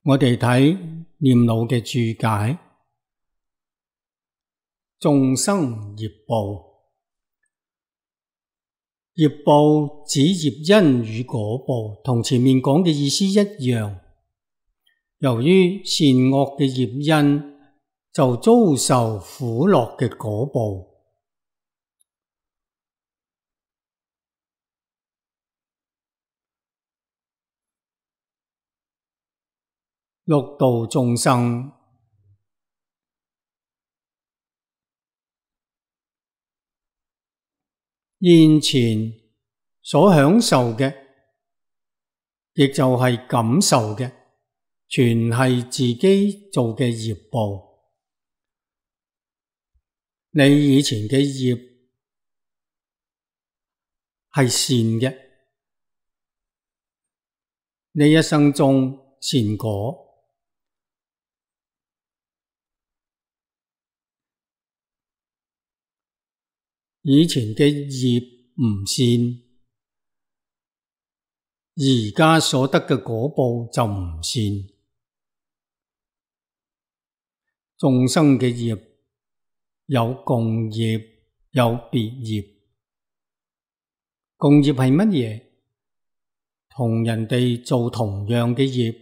我哋睇念老嘅注解，眾生業報，業報指業因與果報，同前面講嘅意思一樣。由於善惡嘅業因，就遭受苦樂嘅果報。六道眾生現前所享受嘅，亦就係感受嘅，全係自己做嘅業報。你以前嘅業係善嘅，你一生中善果。以前嘅業唔善，而家所得嘅果報就唔善。眾生嘅業有共業，有別業。共業係乜嘢？同人哋做同樣嘅業，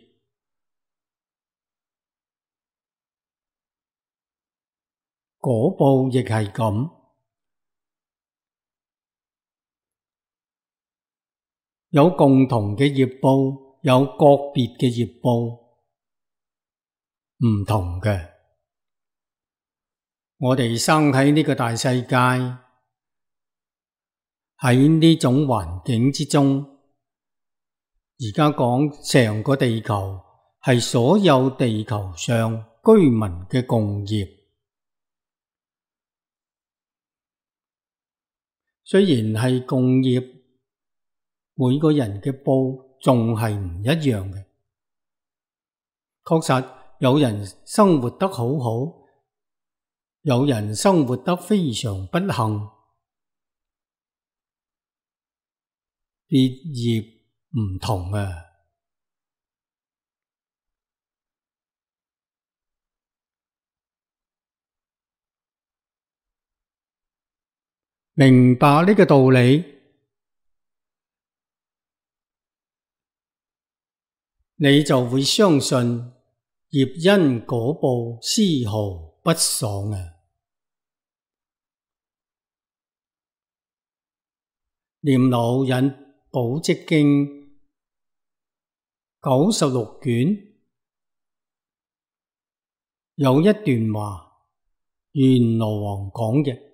果報亦係咁。有共同嘅業報，有個別嘅業報，唔同嘅。我哋生喺呢個大世界，喺呢種環境之中，而家講成個地球係所有地球上居民嘅共業。雖然係共業，每個人嘅報仲係唔一樣嘅。確實有人生活得好好，有人生活得非常不幸，別業唔同啊。明白呢個道理，你就會相信業因果報絲毫不爽啊！念老引《寶積經》96卷有一段話，閻羅王講嘅。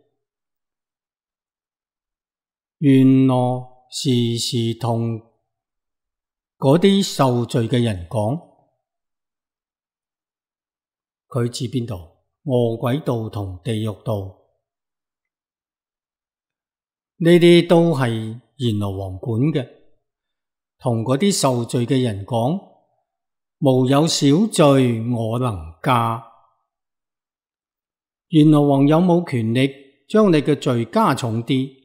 閻羅時時同嗰啲受罪嘅人講，佢指邊度？餓鬼道同地獄道，呢啲都係閻羅王管嘅。同嗰啲受罪嘅人講，無有小罪我能加。閻羅王有冇權力將你嘅罪加重啲，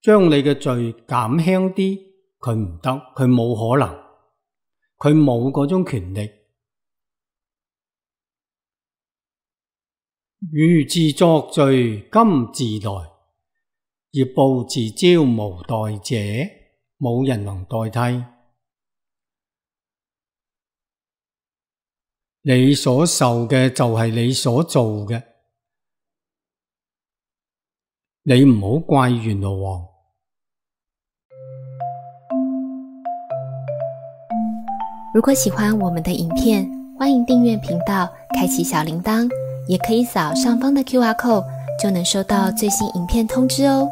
將你嘅罪減輕啲？佢唔得，佢冇可能，佢冇嗰種權力。汝自作罪，今自來，業報自招，無代者，冇人能代替。你所受嘅就係你所做嘅，你唔好怪閻羅王。如果喜歡我們的影片，歡迎訂閱頻道，開啟小鈴鐺，也可以掃上方的QR code，就能收到最新影片通知哦。